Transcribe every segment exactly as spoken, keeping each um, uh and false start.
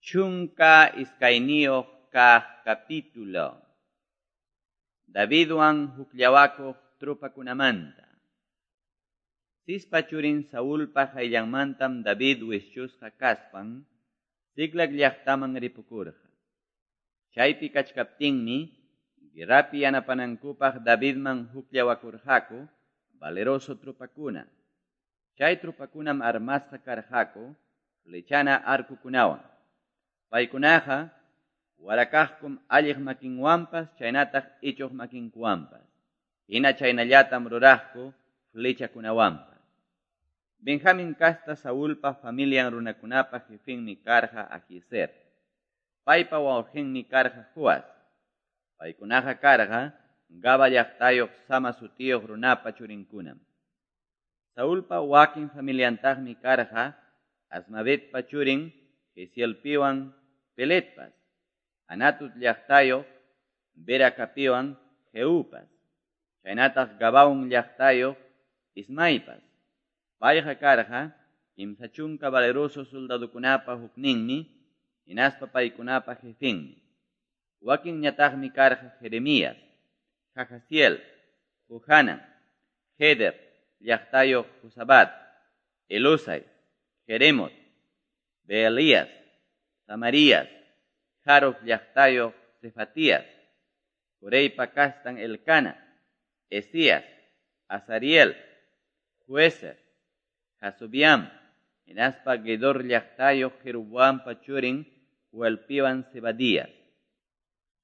Chunka iskayniyuq kaq capítulo. Davidwan hukllawakuq tropakunamanta. Cispa churin Saulpa qayllanmantam David wischusqa kaspan Ziclag llaqtaman ripukurqa. Chaypi kachkaptinmi guerrapi yanapanankupaq Davidman hukllawakurqaku valeroso tropakuna. Chay tropakunam armasqa karqaku flechana arkukunawan. Paykunaqa warakaqkum alliq makinwanpas chaynataq ichuq makinkuwanpas. Hina chaynallatam ruraqku flechakunawanpas. Benjamin kasta Saulpa familian runakunapa jefinmi karqa Ahiezer. Paypa wawqinmi karqa Joas. Paykunaqa karqa Gaba llaqtayuq Sama sutiyuq runapa churinkunam. Saulpa wakin familiantaqmi karqa Azmavetpa churin Jezielpiwan Peletpas, Anatut llaqtayuq Beracapiwan Jehupas, chaynataq Gabaón llaqtayuq Ismaipas. Payqa karqa kimsa chunka valeroso soldadokunapa hukninmi, hinaspa paykunapa jefinmi. Wakinñataqmi karqa Jeremías, Jahaziel, Johanan, Heder llaqtayuq Josabat, Elusai, Jeremot, Beelías, Samarías, Harof llaqtayuq Cefatías, Coreypa kastan Elcana, Esías, Azariel, Joezer, Jasobiam, hinaspa Gedor llaqtayuq Jeroboampa churin Joelpiwan Zebadías.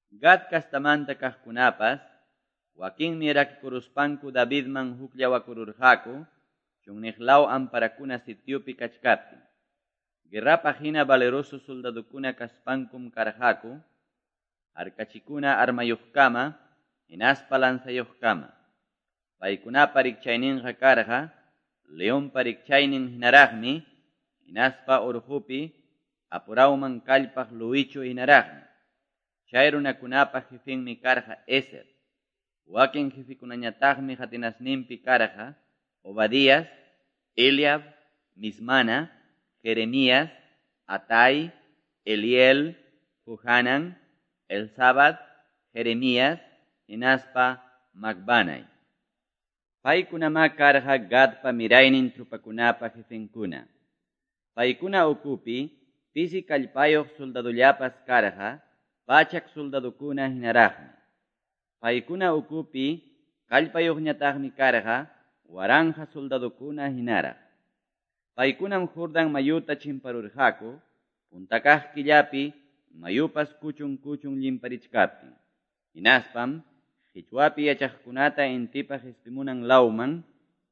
Gad kastamanta kaqkunapas, wakinmi rakikuruspanku Davidman hukllawakururqaku, chunniqlaw amparakuna sitiopi kachkaptin. Guerrapaq hina valeroso soldadokuna kaspankum karqaku, harkachikuna armayuqkama, hinaspa lanzayuqkama. Paykunapa rikchayninqa karqa, leonpa rikchaynin hinaraqmi, hinaspa urqupi apurawman kallpaq luwichu hinaraqmi. Chay runakunapa jefinmi karqa Ezer. Wakin jefikunañataqmi qatinasninpi karqa Obadías, Eliab, Mismana, Jeremías, Atai, Eliel, Johanan, Elzabad, Jeremías, hinaspa Macbanai. Paykunamá karqa Gadpa miraynin tropakunapa jefenkuna. Paykuna ukupi pisi kallpayuq soldadollapas karqa pachak soldadokuna hinaraqmi. Paykuna ukupi kallpayuqñataqmi karqa waranja soldadokuna hinaraq. Paykunam Jordan mayuta chimparurqaku, puntakaq killapi mayupas kuchun kuchun llimparichkaptin. Hinaspam qichwapi yachaqkunata intipa qispimunan lawman,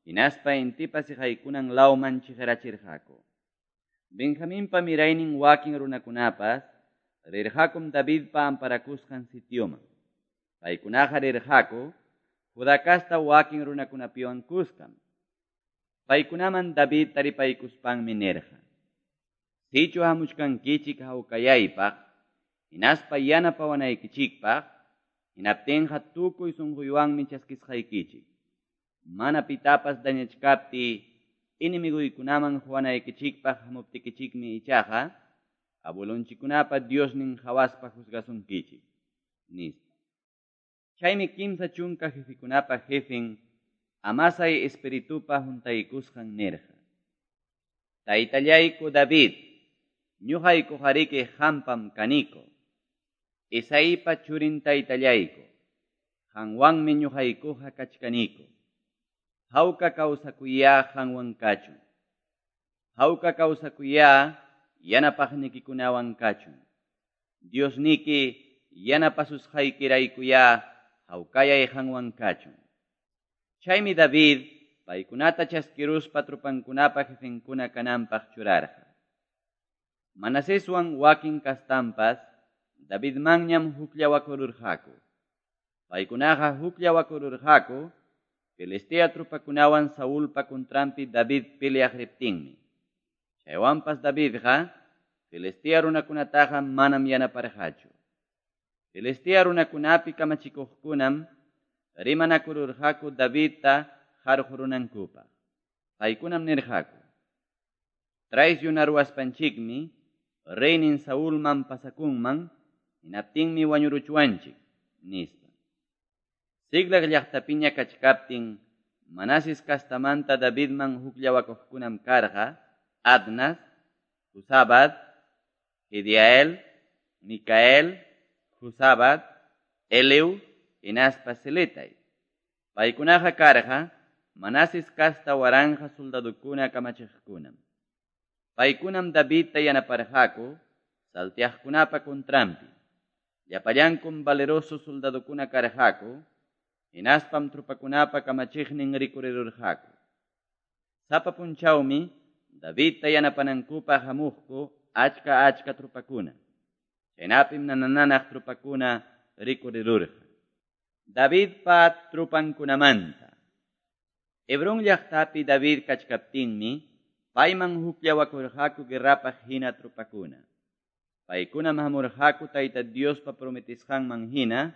hinaspa intipa siqaykunan lawman chiqirachirqaku. Benjaminpa miraynin wakin runakunapas rirqakum Davidpa amparakusqan sitioman. Paykunaqa rirqaku Judá kasta wakin runakunapiwan kuskam. Paykunaman David taripaykuspanmi nirqa: Sichu hamuchkankichik hawkayaypaq, hinaspa yanapawanaykichikpaq, hinaptinqa tukuy sunquywanmi chaskisqaykichik. Mana pitapas dañachkapti enemiguykunaman huwanaykichikpaq hamuptikichikmi ichaqa, abuelonchikkunapa Diosnin hawaspa juzgasunkichik, nispa. Chaymi kimsa chunka jefikunapa jefin Amasai espiritupa huntaykusqan nirqa: Taytallayku David, ñuqaykuqariki hampam kaniko. Isaipa churin taytallayku, qanwanmi ñuqaykuqa kachkaniko. Hawka kawsakuyá qanwan kachun. Hawka kawsakuyá yanapaqnikikunawan kachun. Diosniki yanapasusqaykiraykuyá hawkayay qanwan kachun. Chaymi David paykunata chaskiruspa tropankunapa jefenkuna kananpaq churarqa. Manaseswan wakin kastampas Davidmanñam hukllawakururqaku. Paykunaqa hukllawakururqaku Filistea tropakunawan Saulpa contranpi David peleaq riptinmi. Chaywanpas Davidqa Filistea runakunataqa manam yanaparqachu. Filistea runakunapi kamachikuqkunam rimanakururqaku Davidta qarqurunankupaq. Paykunam nirqaku: Traicionaruwaspanchikmi reynin Saulman pasakunman, hinaptinmi wañuruchwanchik, nispa. Siclag llaqtapiña kachkaptin, Manases kastamanta Davidman hukllawakuqkunam karqa, Adnas, Jozabad, Jediael, Micael, Jozabad, Eleu, hinaspa Siletai. Paykunaqa karqa, Manases kasta waranja soldadukuna kamachiqkunam. Paykunam Davidta yanaparqaku, salteaqkunapa contranpi. Llapallankum valeroso soldadukuna karqaku, hinaspam tropakunapa kamachiqnin rikurirurqaku. Sapa punchawmi Davidta yanapanankupaq hamuqku achka achka tropakuna. Chaynapim nanananaq tropakuna rikurirurqa. Davidpa tropankunamanta. Hebrón llaqtapi David kachkaptinmi, payman hukllawakurqaku guerrapaq hina tropakuna. Paykunam hamurqaku Tayta Diospa prometisqanman hina,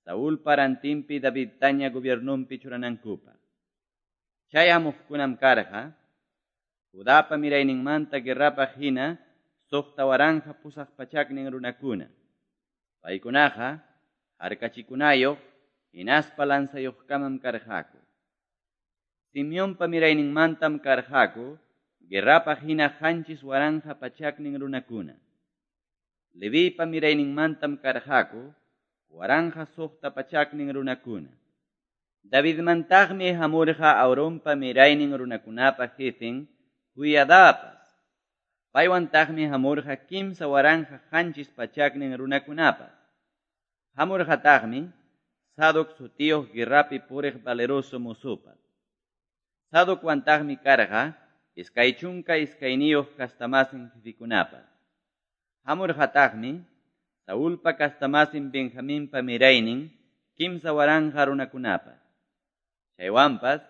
Saulpa rantinpi Davidtaña gobiernonpi churanankupaq. Chay hamuqkunam karqa, Judapa mirayninmanta guerrapaq hina, suqta waranja pusaq pachaknin runakuna. Paykunaqa harkachikunayoq, hinaspa lanzayuqkamam karqaku. Simeonpa mirayninmantam karqaku, guerrapaq hina qanchis waranja pachaknin runakuna. Levipa mirayninmantam karqaku, waranja suqta pachaknin runakuna. Davidmantaqmi hamurqa Aaronpa miraynin runakunapa jefen Joiadapas. Paywantaqmi hamurqa kimsa waranja qanchis pachaknin runakunapas. Hamurqataqmi Sadoc sutiyuq guerrapi puriq valeroso mozopas. Sadokwantaqmi karqa iskay chunka iskayniyuq kastamasin jefikunapas. Hamurqataqmi Saulpa kastamasin Benjaminpa miraynin kimsa waranja runakunapas. Chaywanpas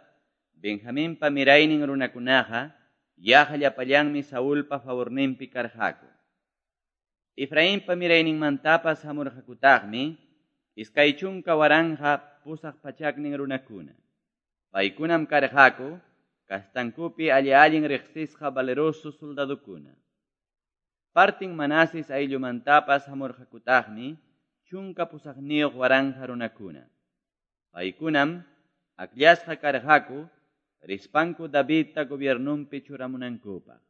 Benjaminpa miraynin runakunaqa yaqa llapallanmi Saulpa favorninpi karqaku. Efrainpa mirayninmantapas hamurqakutaqmi iskay chunka waranja pusaq pachaknin runakuna. Paykunam karqaku kastankupi alli-allin riqsisqa valeroso soldadukuna. Partin Manases ayllumantapas hamurqakutaqmi chunka pusaqniyuq waranja runakuna. Paykunam akllasqa karqaku rispanku Davidta gobiernonpi churamunankupaq.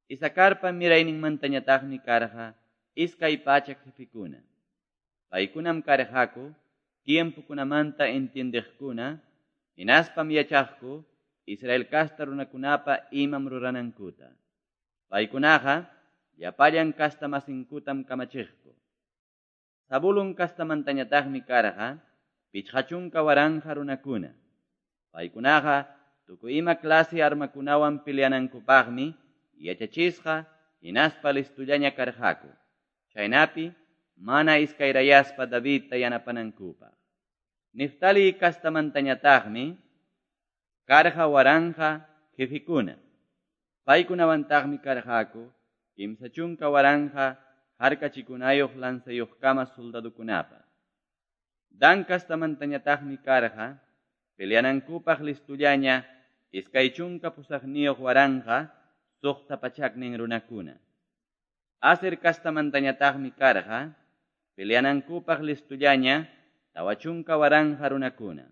Isacarpa mirayninmantañataqmi karqa iskay pachak jefikuna. Paykunam karqaku tiempokunamanta entiendeqkuna, hinaspam yachaqku Israel kasta runakunapa imam ruranankuta. Paykunaqa llapallan kastamasinkutam kamachiqku. Zabulón kastamantañataqmi karqa pichqa chunka waranja runakuna. Paykunaqa tukuy ima clase armakunawan peleanankupaqmi yachachisqa hinaspa listullaña karqaku. Chaynapi mana iskayrayaspa Davidta yanapanankupaq. Neftali kastamantañataqmi karqa waranja jefikuna. Paykunawantaqmi karqaku kimsa chunka waranja harkachikunayuq lanzayuqkama soldadukunapas. Dan kastamantañataqmi karqa peleanankupaq listullaña iskay chunka pusaqniyuq waranja suqta pachaknin runakuna. Aser kastamantañataqmi karqa peleanankupaq listullaña tawa chunka waranja runakuna.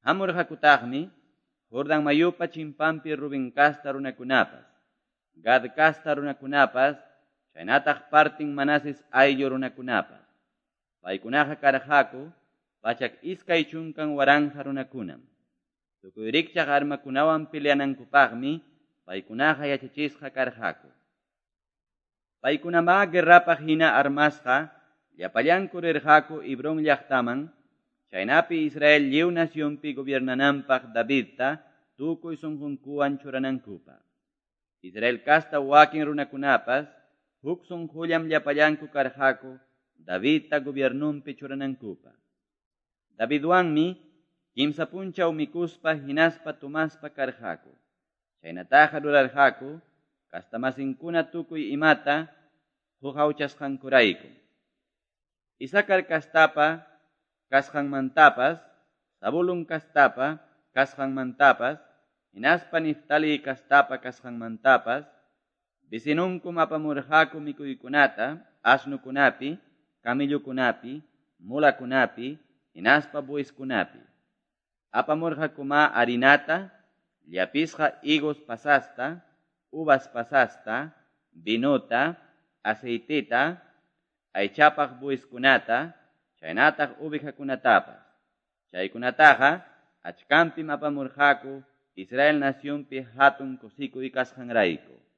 Hamurqakutaqmi Jordan mayupa chimpanpi Rubén kasta runakunapas, Gad kasta runakunapas, chaynataq partin Manases ayllu runakunapas. Paykunaqa karqaku pachak iskay chunkan waranja runakunam. Tukuy rikchaq armakunawan peleanankupaqmi paykunaqa yachachisqa karqaku. Paykunamá guerrapaq hina armasqa llapallanku rirqaku Hebrón llaqtaman, chaynapi Israel lliw nacionpi gobiernananpaq Davidta tukuy sunqunkuwan churanankupaq. Israel kasta wakin runakunapas huk sunqullam llapallanku karqaku Davidta gobiernonpi churanankupaq. Davidwanmi kimsa punchaw mikuspa hinaspa tomaspa karqaku. Chaynataqa rurarqaku kastamasinkuna tukuy imata huqawchasqankurayku. Isacar kastapa kasqanmantapas, Zabulón kastapa kasqanmantapas, hinaspa Neftali kastapa kasqanmantapas, Vecinonkum apamurqaku mikuykunata, asnukunapi, camellokunapi, mulakunapi, hinaspa bueyeskunapi. Apamurqakuma harinata, llapisqa higos pasasta, uvas pasasta, vinota, aceiteta, aychapaq bueyeskunata, chaynataq ovejakunatapas. Chaykunataqa achkanpim apamurqaku Israel nacionpi hatun kusikuy kasqanrayku.